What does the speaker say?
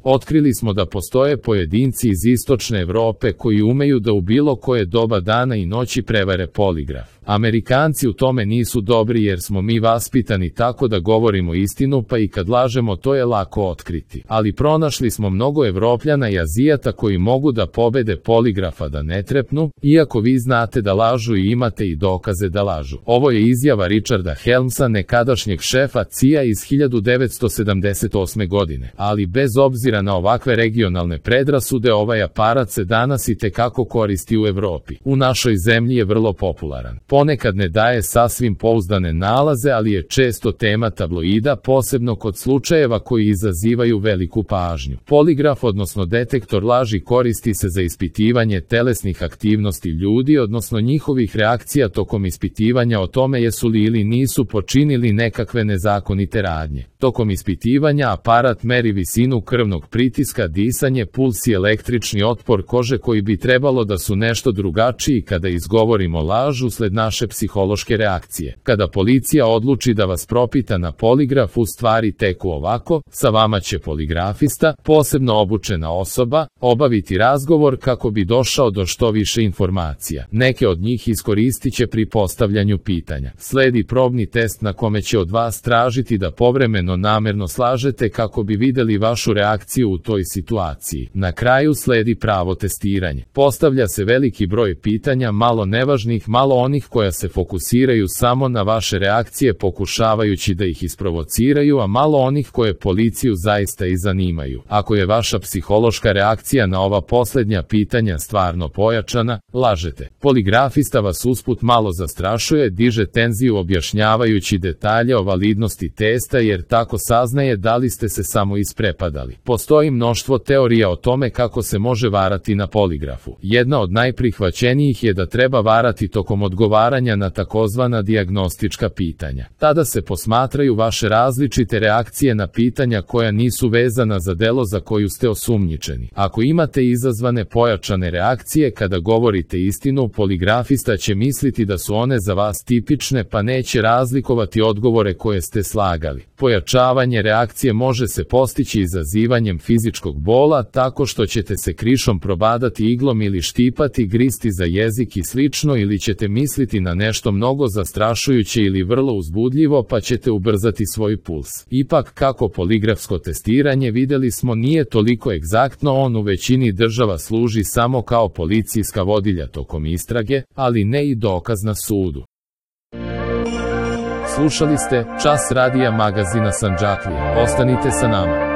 Otkrili smo da postoje pojedinci iz istočne Evrope koji umeju da u bilo koje doba dana i noći prevare poligraf. Amerikanci u tome nisu dobri jer smo mi vaspitani tako da govorimo istinu, pa i kad lažemo to je lako otkriti. Ali pronašli smo mnogo Evropljana i Azijata koji mogu da pobede poligrafa da ne trepnu, iako vi znate da lažu i imate i dokaze da lažu. Ovo je izjava Richarda Helmsa, nekadašnjeg šefa CIA iz 1978. godine. Ali bez obzira na ovakve regionalne predrasude, ovaj aparat se danas i tekako koristi u Evropi. U našoj zemlji je vrlo popularan. Ponekad ne daje sasvim pouzdane nalaze, ali je često tema tabloida, posebno kod slučajeva koji izazivaju veliku pažnju. Poligraf, odnosno detektor laži, koristi se za ispitivanje telesnih aktivnosti ljudi, odnosno njihovih reakcija tokom ispitivanja o tome jesu li ili nisu počinili nekakve nezakonite radnje. Tokom ispitivanja aparat meri visinu krvnog pritiska, disanje, puls i električni otpor kože koji bi trebalo da su nešto drugačiji kada izgovorimo laž usled naše psihološke reakcije. Kada policija odluči da vas propita na poligrafu, stvari teku ovako: sa vama će poligrafista, posebno obučena osoba, obaviti razgovor kako bi došao do što više informacija. Neke od njih iskoristit će pri postavljanju pitanja. Sledi probni test na kome će od vas tražiti da povremeno namerno slažete kako bi videli vašu reakciju u toj situaciji. Na kraju sledi pravo testiranje. Postavlja se veliki broj pitanja, malo nevažnih, malo onih koja se fokusiraju samo na vaše reakcije pokušavajući da ih isprovociraju, a malo onih koje policiju zaista i zanimaju. Ako je vaša psihološka reakcija na ova posljednja pitanja stvarno pojačana, lažete. Poligrafista vas usput malo zastrašuje, diže tenziju objašnjavajući detalje o validnosti testa jer tako saznaje da li ste se samo isprepadali. Postoji mnoštvo teorija o tome kako se može varati na poligrafu. Jedna od najprihvaćenijih je da treba varati tokom odgovaranja na takozvana dijagnostička pitanja. Tada se posmatraju vaše različite reakcije na pitanja koja nisu vezana za delo za koju ste osumnjičeni. Ako imate izazvane pojačane reakcije kada govorite istinu, poligrafista će misliti da su one za vas tipične, pa neće razlikovati odgovore koje ste slagali. Pojačavanje reakcije može se postići izazivanjem fizičkog bola tako što ćete se krišom probadati iglom ili štipati, gristi za jezik i slično, ili ćete misliti na nešto mnogo zastrašujuće ili vrlo uzbudljivo pa ćete ubrzati svoj puls. Ipak, kako poligrafsko testiranje, vidjeli smo, nije toliko egzaktno, on u većini država služi samo kao policijska vodilja tokom istrage, ali ne i dokaz na sudu. Slušali ste Čas radija magazina Sandžaklija. Ostanite sa nama.